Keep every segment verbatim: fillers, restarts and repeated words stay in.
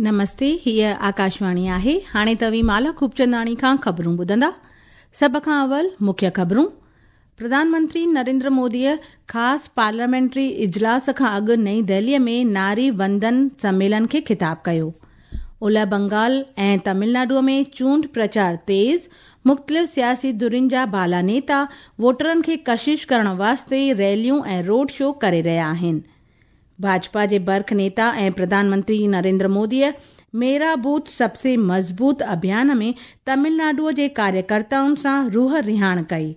नमस्ते, हीअ आकाशवाणी आहे। हाणे तव्हीं माला खूबचंदाणी खां ख़बरूं ॿुधंदा। सभ खां अवल मुख्य ख़बरूं। प्रधानमंत्री नरेंद्र मोदीअ ख़ासि पार्लियामेंट्री इजलास खां अॻु नई दिल्लीअ में नारी वंदन सम्मेलन खे ख़िताब कयो। ओलह बंगाल ऐं तमिलनाडुअ में चूंड प्रचार तेज़। मुख़्तलिफ़ सियासी धुरियुनि जा बाला नेता वोटरनि खे कशिश करण वास्ते रैलियूं ऐं रोड शो करे रहिया आहिनि। भाजपा जे बर्ख नेता ऐं प्रधानमंत्री नरेंद्र मोदीअ मेरा बूथ सबसे मज़बूत अभियान में तमिलनाडुअ जे कार्यकर्ताउनि सां रूह रिहाण कई।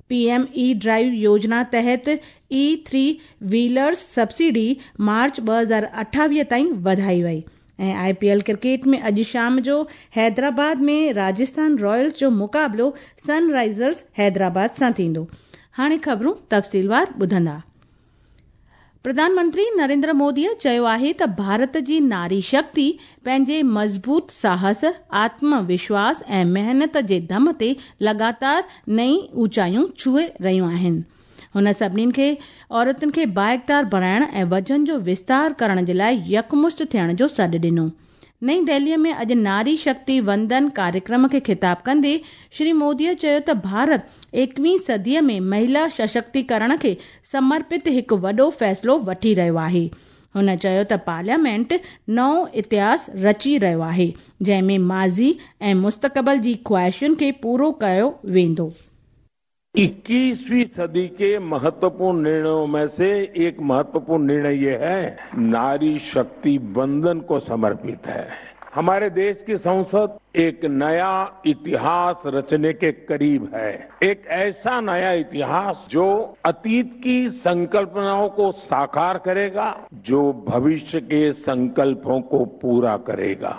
पीएम ई ड्राइव योजना तहत ई थ्री व्हीलर्स सब्सिडी मार्च ॿ हज़ार अठावीह ताईं वधाई वई। ऐं आईपीएल क्रिकेट में अॼु शाम जो हैदराबाद में राजस्थान रॉयल्स जो मुक़ाबिलो सनराइज़र्स हैदराबाद सां थींदो। हाणे ख़बरूं तफ़सीलवार ॿुधंदा। प्रधानमंत्री नरेंद्र मोदीअ चयो आहे त भारत जी नारी शक्ति पंहिंजे मज़बूत साहस, आत्मविश्वास ऐं महिनत जे दम ते लगातार नई ऊंचाइयूं छुए रहियूं आहिनि। हुन सभिनीनि खे औरतुनि खे बाइक़्तियार बणाइण ऐं वजन जो विस्तार करण जे लाइ यकमुश्त थियण जो सॾु ॾिनो। नई दिल्लीअ में अॼु नारी शक्ति वंदन कार्यक्रम खे ख़िताब कंदे श्री मोदीअ चयो त भारत एकवीं सदीअ में महिला सशक्तिकरण खे समर्पित हिकु वॾो फ़ैसिलो वठी रहियो आहे। हुन चयो त पार्लियामेंट नओं इतिहास रची रहियो आहे, जंहिं में माज़ी ऐं मुस्तक़बिल जी ख़्वाहिशुनि खे पूरो कयो वेंदो। इक्कीसवीं सदी के महत्वपूर्ण निर्णयों में से एक महत्वपूर्ण निर्णय ये है, नारी शक्ति वंदन को समर्पित है। हमारे देश की संसद एक नया इतिहास रचने के करीब है। एक ऐसा नया इतिहास जो अतीत की संकल्पनाओं को साकार करेगा, जो भविष्य के संकल्पों को पूरा करेगा।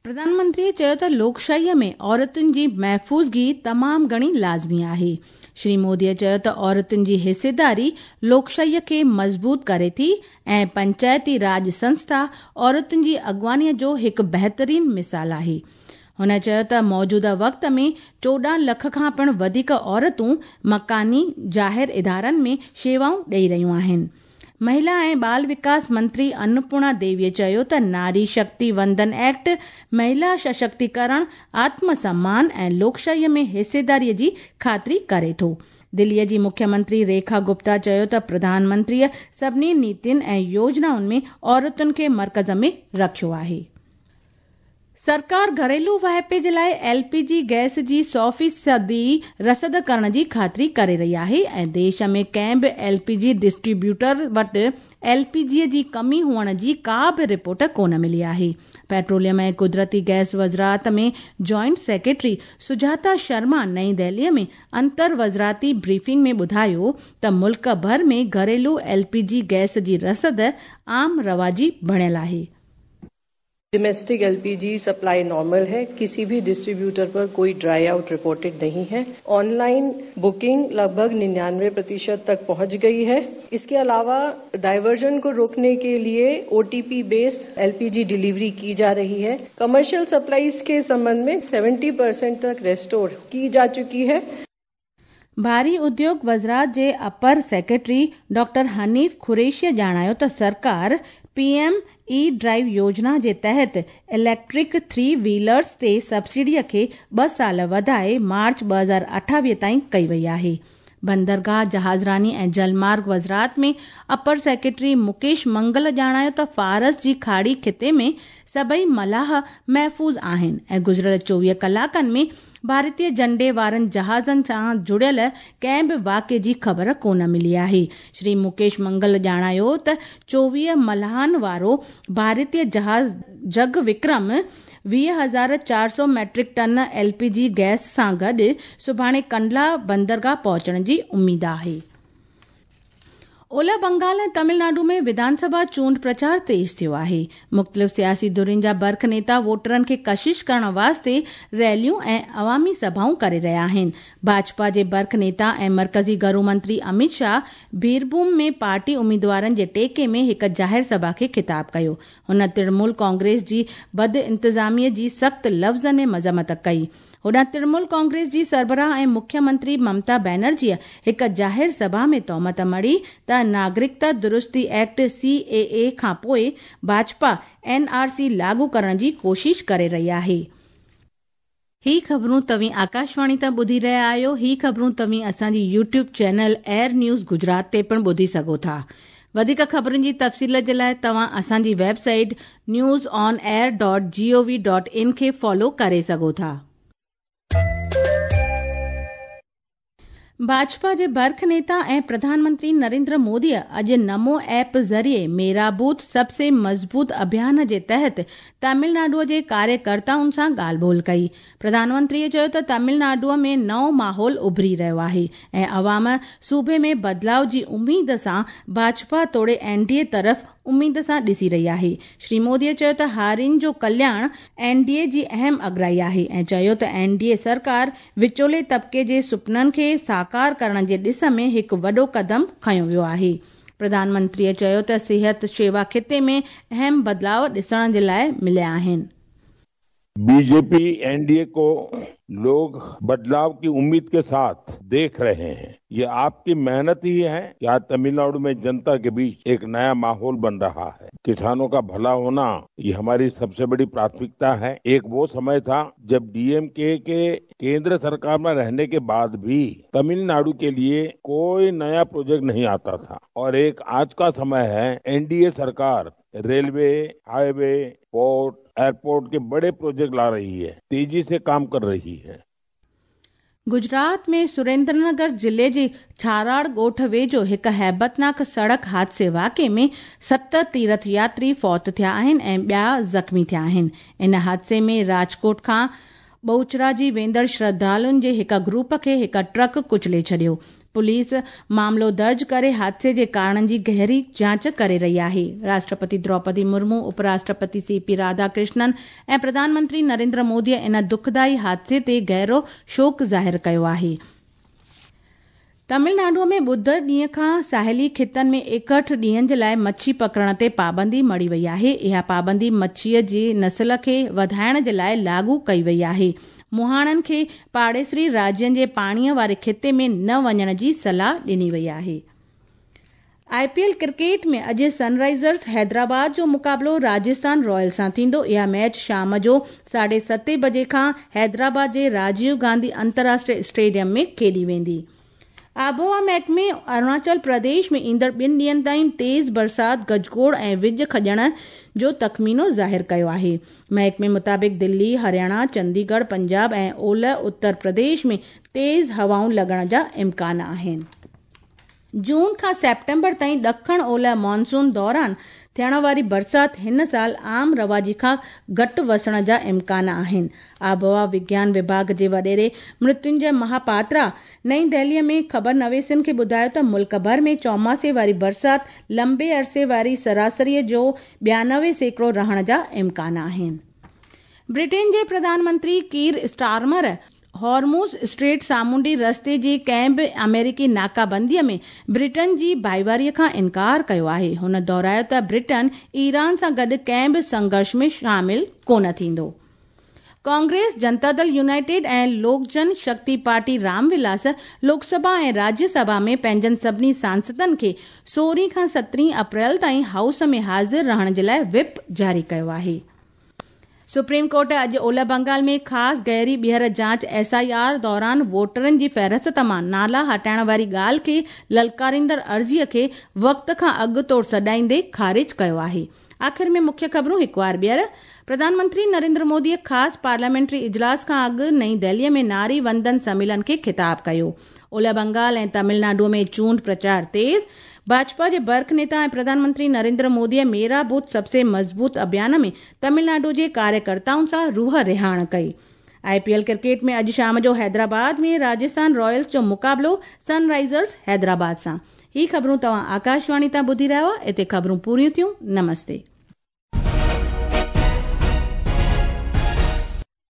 प्रधानमंत्री चयो त लोकशाहीअ में औरतुनि जी महफ़ूज़गी तमामु घणी लाज़मी आहे। श्री मोदीअ चयो त औरतुनि जी हिस्सेदारी लोकशाहीअ खे मज़बूत करे थी ऐं पंचायती राज संस्था औरतुनि जी अॻुवानीअ जो हिकु बहितरीन मिसाल आहे। हुन चयो त मौजूदा वक़्त में चोॾहं लख खां पिणु वधीक औरतूं मकानी ज़ाहिर इदारनि में शेवाऊं ॾेई रहियूं आहिनि। महिला ऐं बाल विकास मंत्री अन्नपूर्णा देवीअ चयो त नारी शक्ति वंदन एक्ट महिला सशक्तिकरण, आत्मसम्मान ऐं लोकशाहीअ में हिस्सेदारीअ जी ख़ातिरी करे थो। दिल्लीअ जी मुख्यमंत्री रेखा गुप्ता चयो त प्रधानमंत्रीअ सभिनी नीतियुनि ऐं योजनाउनि में औरतुनि खे मर्कज़ में रखियो आहे। सरकार घरेलू वाहिपे जे लाइ एलपीजी गैस जी सौ फ़ीसदी रसद करण जी ख़ातिरी करे रही आहे ऐं देश में कंहिं बि एलपीजी डिस्ट्रीब्यूटर वटि एलपीजी जी कमी हुअण जी का बि रिपोर्ट कोन मिली आहे। पेट्रोलियम ऐं कुदरती गैस वज़ारत में जॉइंट सेक्रेटरी सुजाता शर्मा नई दिल्लीअ में अंतर वज़ारती ब्रीफिंग में ॿुधायो त मुल्क भर में घरेलू एलपीजी गैस जी रसद आम रवाजी बणियल आहे। डोमेस्टिक एलपीजी सप्लाई नॉर्मल है, किसी भी डिस्ट्रीब्यूटर पर कोई ड्राई आउट रिपोर्टेड नहीं है। ऑनलाइन बुकिंग लगभग निन्यानवे प्रतिशत तक पहुंच गई है। इसके अलावा डाइवर्जन को रोकने के लिए ओटीपी बेस एलपीजी डिलीवरी की जा रही है। कमर्शियल सप्लाईज के संबंध में सत्तर परसेंट तक रेस्टोर की जा चुकी है। भारी उद्योग वज़ारत जे अपर सेक्रेटरी डॉक्टर हनीफ ख़ुरैशी ॼाणायो त सरकार पीएम ई ड्राइव योजना जे तहत इलेक्ट्रिक थ्री व्हीलर्स ते सब्सिडीअ खे ॿ साल वधाए मार्च ॿ हज़ार अठावीह ताईं कई वई आहे। बंदरगाह, जहाज़रानी ऐं जलमार्ग वज़ारत में अपर सेक्रेटरी मुकेश मंगल ॼाणायो त फ़ारस जी खाड़ी ख़िते में सभई मलाह महफ़ूज़ आहिनि ऐं गुज़िरियल चोवीह कलाकनि में भारतीय झंडे वारनि जहाज़नि सां जुड़ियल कंहिं बि वाक़िए जी ख़बर कोन मिली आहे। श्री मुकेश मंगल ॼाणायो त चोवीह मलाहनि वारो भारतीय जहाज़ जग विक्रम वीह हज़ार चार सौ मैट्रिक टन एलपीजी गैस सां गॾु सुभाणे कंडला बंदरगाह पहुचण जी उम्मीद आहे। ओलह बंगाल ऐं तमिलनाडु में विधानसभा चूंड प्रचार तेज़ थियो आहे। मुख़्तलिफ़ सियासी धुरियुनि जा बर्ख नेता वोटरनि खे कशिश करण वास्ते रैलियूं ऐं अवामी सभाऊं करे रहिया आहिनि। भाजपा जे बर्ख नेता ऐं मर्कज़ी घरू मंत्री अमित शाह बीरभूम में पार्टी उम्मीदवारनि जे टेके में हिकु ज़ाहिर सभा खे ख़िताब कयो। हुन तृणमूल कांग्रेस जी बद इंतज़ामीअ जी सख़्त लफ़्ज़नि में मज़म्मत कई। होॾां तृणमूल कांग्रेस जी सरबराह ऐं मुख्यमंत्री ममता बनर्जीअ हिकु ज़ाहिर सभा में तोहमत मढ़ी त नागरिकता दुरुस्ती एक्ट सी ए ए खां पोइ भाजपा एन आर सी लागू करण जी कोशिश करे रही आहे। ही ख़बरूं तव्हीं आकाशवाणी तां ॿुधी रहिया आहियो। ही ख़बरूं तव्हीं असांजी YouTube channel Air News Gujarat ते पिणु ॿुधी सघो था। वधीक ख़बरुनि जी तफ़सील जे लाइ तव्हां असांजी website news on air dot G O V dot in खे फॉलो करे सघो था। भाजपा जे बर्ख नेता ऐं प्रधानमंत्री नरेंद्र मोदीअ अॼु नमो ऐप ज़रिए मेरा बूथ सबसे मज़बूत अभियान जे तहत तमिलनाडुअ जे कार्यकर्ताउनि सां ॻाल्हि ॿोल कई। प्रधानमंत्रीअ चयो त तमिलनाडुअ में नओं माहौल उभरी रहियो आहे ऐं अवाम सूबे में बदिलाव जी उम्मीद सां भाजपा तोड़े एन डी ए तरफ़ उम्मीद सां ॾिसी रही आहे। श्री मोदीअ चयो त हारियुनि जो कल्याण एन डी ए जी अहम अगराई आहे ऐं चयो त एन डी ए सरकार विचोले तबिके जे सुपननि खे साकार करण जे ॾिस में हिकु वॾो कदम खयो वियो आहे। प्रधानमंत्रीअ चयो त सिहत शेवा खिते में अहम बदिलाव ॾिसण जे लाइ मिलिया आहिनि। बीजेपी एनडीए को लोग बदलाव की उम्मीद के साथ देख रहे हैं। ये आपकी मेहनत ही है कि आज तमिलनाडु में जनता के बीच एक नया माहौल बन रहा है। किसानों का भला होना ये हमारी सबसे बड़ी प्राथमिकता है। एक वो समय था जब डीएमके के केंद्र सरकार में रहने के बाद भी तमिलनाडु के लिए कोई नया प्रोजेक्ट नहीं आता था और एक आज का समय है एनडीए सरकार रेलवे, हाईवे, पोर्ट, एयरपोर्ट के बड़े प्रोजेक्ट ला रही है, तेजी से काम कर रही है। गुजरात में सुरेंद्रनगर जिले जे छाराड़ ॻोठ वेझो हिकु हैबतनाक सड़क हादसे वाक़े में सत तीर्थ यात्री फौत थिया आहिनि ऐं ॿिया ज़ख़्मी थिया आहिनि। इन हादसे में राजकोट खां बहुचराजी वेंदड़ श्रद्धालुनि जे हिकु ग्रुप खे हिकु ट्रक कुचले छॾियो। पुलिस मामलो दर्ज करे हादसे जे कारणनि जी गहरी जांच करे रही आहे। राष्ट्रपति द्रौपदी मुर्मू, उपराष्ट्रपति सी पी राधाकृष्णन ऐं प्रधानमंत्री नरेंद्र मोदीअ इन दुखदाई हादसे ते गहरो शोक ज़ाहिर कयो आहे। तमिलनाडुअ में ॿुधर ॾींहं खां साहिली खितनि में एकहठि ॾींहनि जे लाइ मच्छी पकड़ण ते पाबंदी मढ़ी वई आहे। इहा पाबंदी मच्छीअ जे नस्ल खे वधाइण जे लाइ लागू कई वई आहे। मुहाणनि खे पाड़ेसरी राज्यनि जे पाणीअ वारे खिते में न वञण जी सलाह ॾिनी वई आहे। I P L cricket में अॼु सनराइज़र्स हैदराबाद जो मुक़ाबिलो राजस्थान रॉयल सां थींदो। इहा मैच शाम जो साढे सते बजे खां हैदराबाद जे राजीव गांधी अंतर्राष्ट्रीय स्टेडियम में खेॾी वेंदी। आबहवा महकमे अरुणाचल प्रदेश में ईंदड़ ॿिनि ॾींहनि ताईं तेज़ बरसात, गजगोड़ ऐं विज खॼण जो तख़मीनो ज़ाहिर कयो आहे। महकमे मुताबिक़ दिल्ली, हरियाणा, चंडीगढ़, पंजाब ऐं ओलह उत्तर प्रदेश में तेज़ हवाऊं लॻण जा इम्कान आहिनि। जून खां सेप्टेम्बर ताईं ॾखण ओलह मानसून दौरान थियण वारी बरसात हिन साल आम रवाजी खां घटि वसण जा इम्कान आहिनि। आबहवा विज्ञान विभाग जे वॾेरे मृत्युंजय महापात्रा नई दिल्लीअ में ख़बर नवेसियुनि खे ॿुधायो त मुल्क भर में चौमासे वारी बरसात लंबे अरसे वारी सरासरीअ जो ॿियानवे सैकड़ो रहण जा इम्कान आहिनि। ब्रिटेन जे प्रधानमंत्री कीर स्टारमर हॉर्मुज़ स्ट्रेट सामुंडी रस्ते जी कंहिं बि अमेरिकी नाकाबंदीअ में ब्रिटेन जी भाईवारीअ खां इनकार कयो आहे। हुन दोहरायो त ब्रिटेन ईरान सां गॾु कंहिं बि संघर्ष में शामिल कोन थींदो। कांग्रेस, जनता दल यूनाइटेड ऐं लोक जन शक्ति पार्टी रामविलास लोकसभा ऐं राज्यसभा में पंहिंजनि सभिनी सांसदनि खे सोरहं खां सतरहं अप्रैल ताईं हाउस में हाज़िर रहण जे लाइ विप जारी कयो आहे। सुप्रीम कोर्ट अॼु ओलह बंगाल में ख़ासि गहरी ॿीहर जांच एस I R दौरान वोटरनि जी फ़हरिस्त मां नाला हटाइण वारी ॻाल्हि खे ललकारींदड़ अर्ज़ीअ खे वक़्त खां अॻु तौर सॾाईंदे ख़ारिज कयो आहे। आख़िर में मुख्य ख़बरूं हिकु वार ॿीहर। प्रधानमंत्री नरेंद्र मोदीअ ख़ासि पार्लियामेंट्री इजलास खां अॻु नई दिल्लीअ में नारी वंदन सम्मेलन खे ख़िताब कयो। ओलह बंगाल ऐं तमिलनाडु में चूंड प्रचार तेज़। भाजपा जे बर्ख नेता ऐं प्रधानमंत्री नरेंद्र मोदीअ मेरा बूथ सबसे मज़बूत अभियान में तमिलनाडु जे कार्यकर्ताउनि सां रूह रिहाण कई। I P L cricket में अॼु शाम जो हैदराबाद में राजस्थान रॉयल्स जो मुक़ाबिलो सनराइज़र्स हैदराबाद सां। ही ख़बरूं तव्हां आकाशवाणी तां ॿुधी रहिया हुआ। हिते ख़बरूं पूरियूं थियूं। नमस्ते।